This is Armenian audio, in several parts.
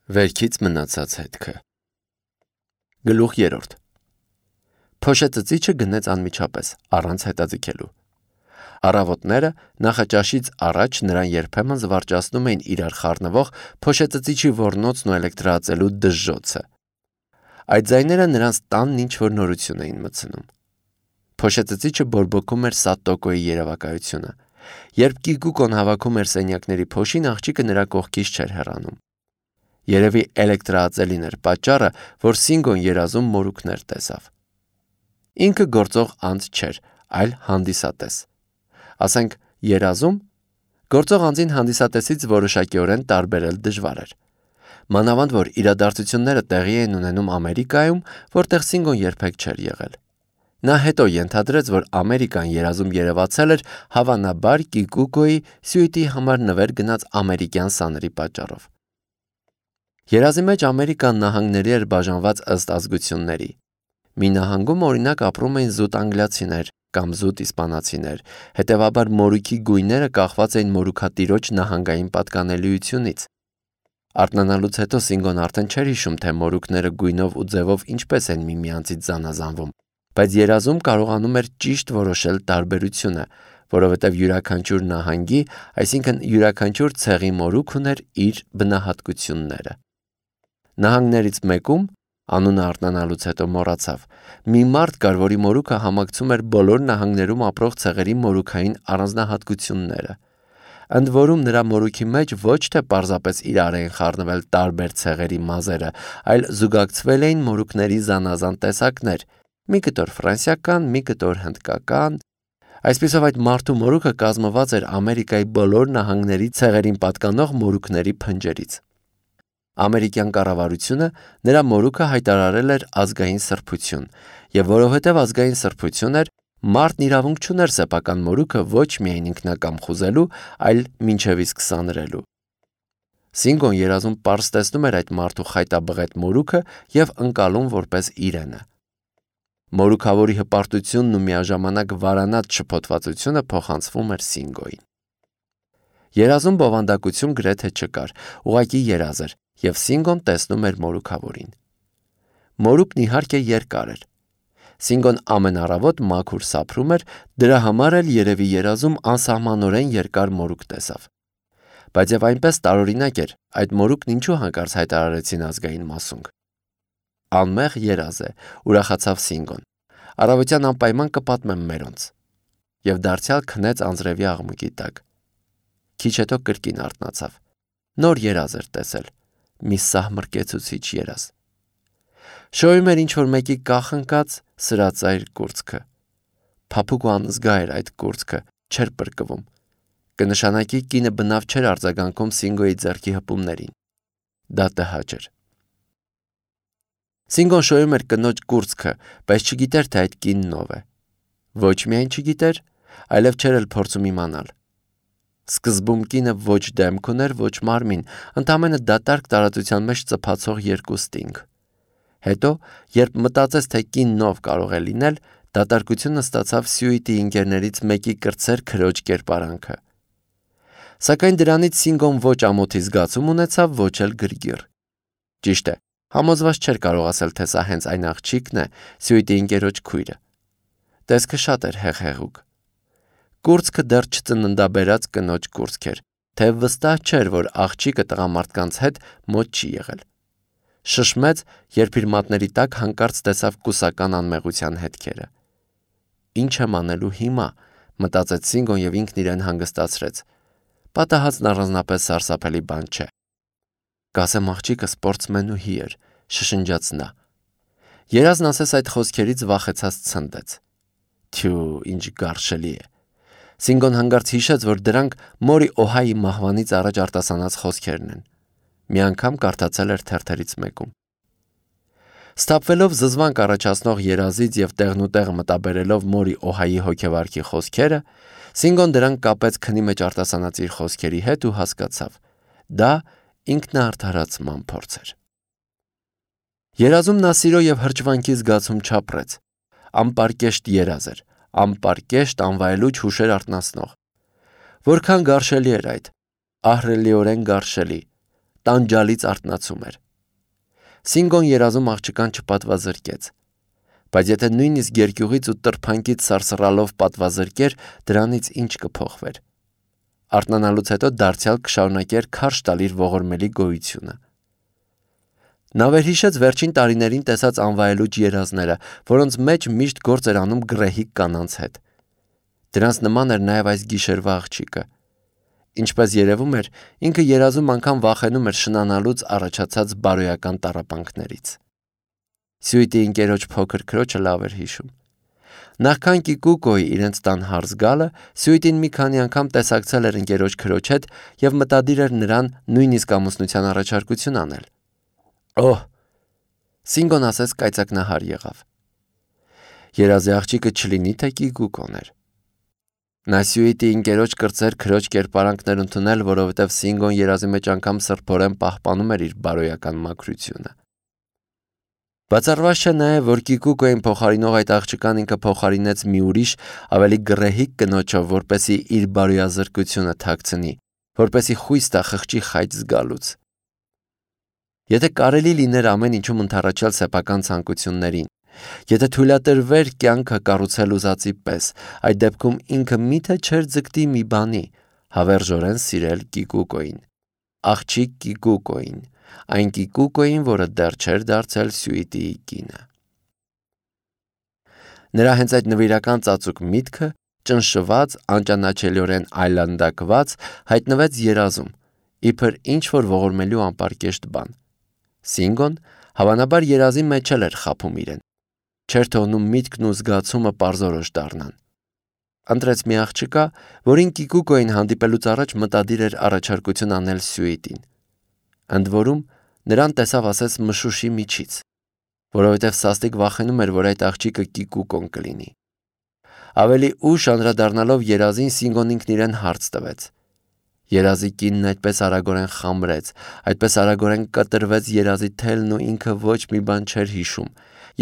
Վերքից մնացած հետքը։ Գլուխ 3. Փոշե ծծիչը գնեց անմիջապես, առանց հետաձգելու։ Առավոտները նախաճաշից առաջ նրան երբեմն զվարճացնում էին իրար խառնվող փոշե ծծիչի ոռնոցն ու էլեկտրաածելու դժժոցը։ Այդ ձայները նրանց տանն ինչ-որ նորություն էին մտցնում։ Փոշե ծծիչը բորբոքում էր Սատոկոյի երևակայությունը։ Երբ Կիկուկոն հավաքում էր սենյակների փոշին, աղջիկը նրա կողքից չէր հեռանում։ Երևի էլեկտրաածելին էր պատճառը, որ Սինգոն երազում մորուքներ տեսավ։ Ինքը գործող անձ չէր, այլ հանդիսատես։ Ասենք երազում, գործող անձին հանդիսատեսից որոշակիորեն տարբերել դժվար էր։ Մանավանդ որ իրադարձությունները տեղի էին ունենում Ամերիկայում, որտեղ Սինգոն երբեք չէր եղել։ Նա հետո ենթադրեց, որ Ամերիկան երազում երևացել էր հավանաբար Կիկուկոյի սյուիտի համար նվեր գնաց ամերիկյան սաների պատճառով։ Երազի մեջ Ամերիկան նահանգների էր բաժանված ըստ ազգությունների։ Մի նահանգում օրինակ ապրում էին զուտ անգլիացիներ կամ զուտ իսպանացիներ, հետևաբար մորուքի գույները կախված էին մորուքատիրոջ նահանգային պատկանելիությունից։ Արթնանալուց հետո Սինգոն արդեն չէր հիշում, թե մորուքները գույնով ու ձևով ինչպես են միմյանցից զանազանվում, բայց երազում կարողանում էր ճիշտ որոշել տարբերությունը, որովհետև յուրաքանչյուր նահանգի, այսինքն յուրաքանչյուր ցեղի մորուք ուներ իր բնահատկությունները։ Նահանգներից մեկում, անունը արթնանալուց հետո մոռացավ, մի մարդ կար, որի մորուքը համակցում էր բոլոր նահանգներում ապրող ցեղերի մորուքային առանձնահատկությունները։ Ընդ որում նրա մորուքի մեջ ոչ թե պարզապես իրար էին խառնվել տարբեր ցեղերի մազերը, այլ զուգակցվել էին մորուքների զանազան տեսակներ՝ մի կտոր ֆրանսիական, մի կտոր հնդկական։ Այսպիսով այդ մարդու մորուքը կազմված էր Ամերիկայի բոլոր նահանգների ցեղերին պատկանող մորուքների փնջերից։ Ամերիկյան կառավարությունը նրա մորուքը հայտարարել էր ազգային սրբություն, եւ որովհետեւ ազգային սրբություն էր, մարդն իրավունք չուներ սեփական մորուքը ոչ միայն ինքնակամ խուզելու, այլ մինչև իսկ սանրելու։ Սինգոն երազում պարզ տեսնում էր այդ մարդու խայտաբղետ մորուքը եւ ընկալում որպես իրենը։ Մորուքավորի հպարտությունն ու միաժամանակ վարանած շփոթվածությունը փոխանցվում էր Սինգոյին։ Երազում բովանդակություն գրեթե չկար, ուղղակի երազ էր, եւ Սինգոն տեսնում էր մորուքավորին։ Մորուքն իհարկե երկար էր։ Սինգոն ամեն առավոտ մաքուր սափրում էր, դրա համար էլ երևի երազում անսահմանորեն երկար մորուք տեսավ։ Բայց եւ այնպես տարօրինակ էր, այդ մորուքն ինչու հանկարծ հայտարարեցին ազգային մասունք։ Անմեղ երազ է, ուրախացավ Սինգոն։ Առավոտյան անպայման կպատմեմ մերոնց։ Եվ դարձյալ քնեց անձրևի աղմուկի տակ։ Քիչ հետո կրկին արթնացավ։ Նոր երազ էր տեսել։ Մի սահմռկեցուցիչ երազ։ Շոյում էր ինչ-որ մեկի կախնկած սրածայր կուրծքը։ Փափուկ ու անզգա էր այդ կուրծքը, չէր պրկվում։ Կնշանակի կինը բնավ չէր արձագանքում Սինգոյի ձեռքի հպումներին։ Դա տհաճ էր։ Սինգոն շոյում էր կնոջ կուրծքը, բայց չգիտեր, թե այդ կինն ով է։ Ոչ միայն չգիտեր, այլև չէր էլ փորձում իմանալ։ Սկզբում կինը ոչ դեմք ուներ, ոչ մարմին, ընդամենը դատարկ տարածության մեջ ծփացող երկու ստինգ։ Հետո, երբ մտածեց, թե կինն ով կարող է լինել, դատարկությունը ստացավ սյուիտի ինկերներից մեկի կրտսեր քրոջ կերպարանքը։ Սակայն դրանից Սինգոն ոչ ամոթի զգացում ունեցավ, ոչ էլ գրգիռ։ Ճիշտ է, համոզված չէր կարող ասել, թե սա հենց այն աղջիկն է, սյուիտի ինկերոջ քույրը։ Տեսքը շատ էր հեղեղուկ։ Կուրծքը դեռ չծննդաբերած կնոջ կուրծք էր, թե վստահ չէր, որ աղջիկը տղամարդկանց հետ մոտ չի եղել։ Շշմեց, երբ իր մատների տակ հանկարծ տեսավ կուսական անմեղության հետքերը։ Ինչ եմ անելու հիմա, մտածեց Սինգոն եւ ինքն իրեն հանգստացրեց։ Պատահածն առանձնապես սարսափելի բան չէ։ Կասեմ աղջիկը սպորտսմենուհի էր, շշնջաց նա։ Երազն ասես այդ խոսքերից վախեցած ցնդեց։ Թյու, ինչ գարշելի է։ Սինգոն հանկարծ հիշեց, որ դրանք մորի Օհայի մահվանից առաջ արտասանած խոսքերն են։ Մի անգամ կարդացել էր թերթերից մեկում։ Սթափվելով զզվանք առաջացնող երազից եւ տեղնուտեղ մտաբերելով մորի Օհայի հոգեվարքի խոսքերը, Սինգոն դրանք կապեց քնի մեջ արտասանած իր խոսքերի հետ ու հասկացավ։ Դա ինքնաարդարացման փորձ էր։ Երազում նա սիրո եւ հրճվանքի զգացում չապրեց։ Անպարկեշտ երազ էր, անպարկեշտ անվայելուչ հուշեր արթնացնող։ Որքան գարշելի էր այդ, ահռելիորեն գարշելի, տանջալից արթնացում էր։ Սինգոն երազում աղջկան չպատվազրկեց, բայց եթե նույնիսկ երկյուղից ու տրփանքից սարսռալով պատվազրկեր, դրանից ինչ կփոխվեր։ Արթնանալուց հետո դարձյալ կշարունակեր քարշ տալ իր ողորմելի գոյությունը։ Նա վերհիշեց վերջին տարիներին տեսած անվայելուչ երազները, որոնց մեջ միշտ գործ էր անում գռեհիկ կանանց հետ։ Դրանց նման էր նաև այս գիշերվա աղջիկը։ Ինչպես երևում էր, ինքը երազում անգամ վախենում էր շնանալուց առաջացած բարոյական տառապանքներից։ Սյուիտի ընկերոջ փոքր քրոջը լավ էր հիշում։ Նախքան Կիկուկոյի իրենց տան հարս գալը, Սյուիտին մի քանի անգամ տեսակցել էր ընկերոջ քրոջ հետ և մտադիր էր նրան նույնիսկ ամուսնության առաջարկություն անել։ Օհ, Սինգոն ասես կայծակնահար եղավ։ Երազի աղջիկը չլինի թե Կիկուկոն էր։ Նա Սյուիտի ընկերոջ կրտսեր քրոջ կերպարանքն էր ընդունել, որովհետև Սինգոն երազի մեջ անգամ սրբորեն պահպանում էր իր բարոյական մաքրությունը։ Բացառված չէ նաև, որ Կիկուկոյին փոխարինող այդ աղջկան ինքը փոխարինեց մի ուրիշ, ավելի գռեհիկ կնոջով, որպեսզի իր բարոյազրկությունը թաքցնի, որպեսզի խույս տա խղճի խայծ զգալուց։ Եթե կարելի լիներ ամեն ինչում ընդառաջել սեփական ցանկություններին, եթե թույլատրվեր կյանքը կառուցել ուզածի պես, այդ դեպքում ինքը միթե չէր ձգտի մի բանի՝ հավերժորեն սիրել Կիկուկոյին, աղջիկ Կիկուկոյին, այն Կիկուկոյին, որը դեռ չէր դարձել Սյուիտիի կինը։ Նրա հենց այդ նվիրական ծածուկ միտքը, ճնշված, անճանաչելիորեն այլանդակված, հայտնվեց երազում, իբր ինչ-որ ողորմելի ու անպարկեշտ բան։ Սինգոն հավանաբար երազի մեջ էր խաբում իրեն, չէր թողնում միտքն ու զգացումը պարզորոշ դառնան։ Ընտրեց մի աղջկա, որին Կիկուկոյին հանդիպելուց առաջ մտադիր էր առաջարկություն անել Սյուիտին։ Ընդ որում, նրան տեսավ ասես մշուշի միջից, որովհետև սաստիկ վախենում էր, որ այդ աղջիկը Կիկուկոն կլինի։ Ավելի ուշ անդրադառնալով երազին, Սինգոն ինքն իրեն հարց տվեց։ Երազի կինն այդպես արագորեն խամրեց, այդպես արագորեն կտրվեց երազի թելն ու ինքը ոչ մի բան չէր հիշում,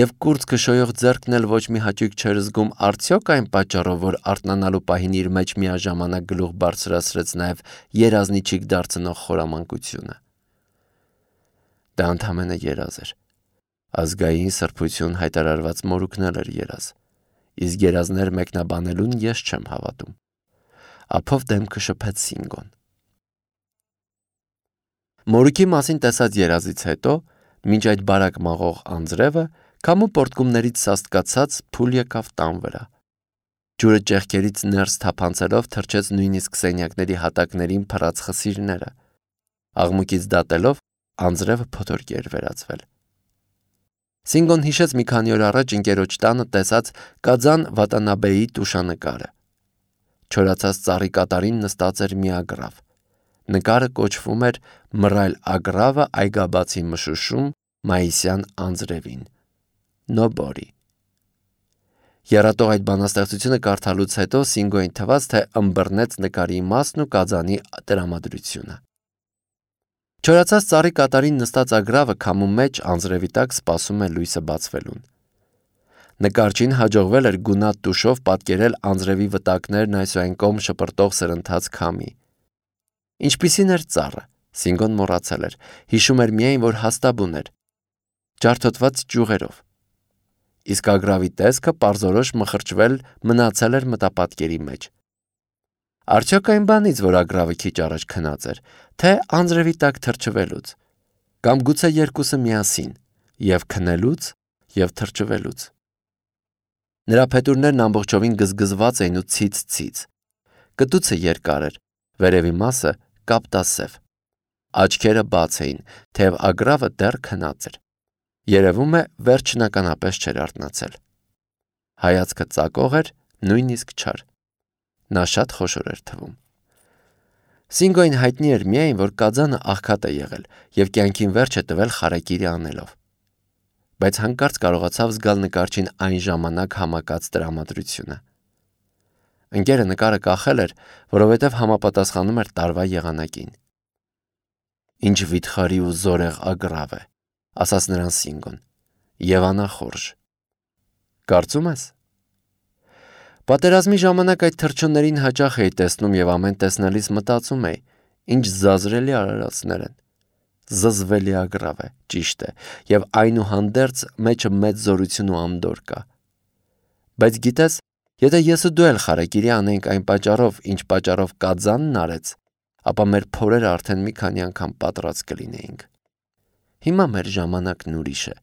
և կուրծքը քշոյող ձեռքն էլ ոչ մի հաճույք չէր զգում, արդյոք այն պատճառով, որ արթնանալու պահին իր մեջ միաժամանակ գլուխ բարձրացրեց նաև երազնիչիկ դարձնող խորամանկությունը։ Դա ընդամենը երազ էր։ Ազգային սրբություն հայտարարված մորուքն էլ էր երազ, իսկ երազներ մեկնաբանելուն ես չեմ հավատում։ Ափով դեմքը շփեց Սինգոն։ Մորուքի մասին տեսած երազից հետո, մինչ այդ բարակ մաղող անձրևը, քամու պոռթկումներից սաստկացած փուլ եկավ տան վրա։ Ջուրը ճեղքերից ներս թափանցելով թրջեց նույնիսկ սենյակների հատակներին փռած խսիրները։ Աղմուկից դատելով, անձրևը փոթորկի էր վերածվել։ Սինգոն հիշեց մի քանի օր առաջ ընկերոջ տանը տեսած Կաձան Վատանաբեի տուշանկարը։ Չորացած ծառի կատարին նստած էր մի ագռավ։ Նկարը կոչվում էր «Մռայլ ագռավը այգաբացի մշուշում մայիսյան անձրևին» Նոբորի։ Եռատող այդ բանաստեղծությունը կարդալուց հետո Սինգոյին թվաց, թե ըմբռնեց նկարի իմաստն ու Կաձանի տրամադրությունը։ Չորացած ծառի կատարին նստած ագռավը քամու մեջ անձրևի տակ սպասում է լույսը բացվելուն։ Նկարչին հաջողվել էր գունատ տուշով պատկերել անձրևի վտակներն այս ու այն կողմ շպրտող սրընթաց քամի։ Ինչպիսին էր ծառը, Սինգոն մոռացել էր, հիշում էր միայն, որ հաստաբուն էր, ջարդոտված ճյուղերով։ Իսկ ագռավի տեսքը պարզորոշ մխրճվել մնացել էր մտապատկերի մեջ։ Արդյոք այն բանից, որ ագռավը քիչ առաջ քնած էր, թե անձրևի տակ թրջվելուց, կամ գուցե երկուսը միասին, և քնելուց, և թրջվելուց։ Նրա փետուրներն ամբողջովին գզգզված էին ու ցից-ցից։ Կտուցը երկար էր, վերևի մասը կապտասև։ Աչքերը բաց էին, թեև ագռավը դեռ քնած էր։ Երևում է, վերջնականապես չէր արթնացել։ Հայացքը ծակող էր, նույնիսկ չար։ Նա շատ խոշոր էր թվում։ Սինգոյին հայտնի էր միայն, որ Կաձանը աղքատ է եղել և կյանքին վերջ է տվել խարեկիրի անելով։ Բայց հանկարծ կարողացավ զգալ նկարչին այն ժամանակ համակած տրամադրությունը։ Ընկերը նկարը կախել էր, որովհետև համապատասխանում էր տարվա եղանակին։ Ինչ վիթխարի ու զորեղ ագռավ է, ասաց նրան Սինգոն, և անախորժ։ Կարծում ես։ Պատերազմի ժամանակ այդ թռչուններին հաճախ էի տեսնում և ամեն տեսնելիս մտածում էի, ինչ զազրելի արարածներ են։ զզվելի ագրավ է, ճիշտ է, եւ այնուհանդերձ մեջը մեծ զորություն ու անդորր կա։ Բայց գիտես, եթե ես ու դու էլ խարեկիրի անենք այն պատճառով, ինչ պատճառով կազանն արեց, ապա մեր փորերը արդեն մի քանի անգամ պատրած կլինեինք։ Հիմա մեր ժամանակն ուրիշ է,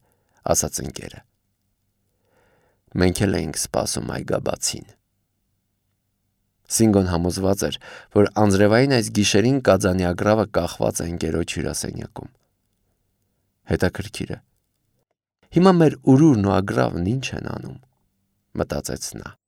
ասաց ընկերը։ Մենք էլ էինք սպասում այգաբացին։ Սինգոն համոզված էր, որ անձրևային այս գիշերին կազանի ագրավը կախված է ընկերոջ հյուրասենյակում։ Հետաքրքիր է։ Հիմա մեր ուրուրն ու ագրավն ինչ են անում, մտածեց նա։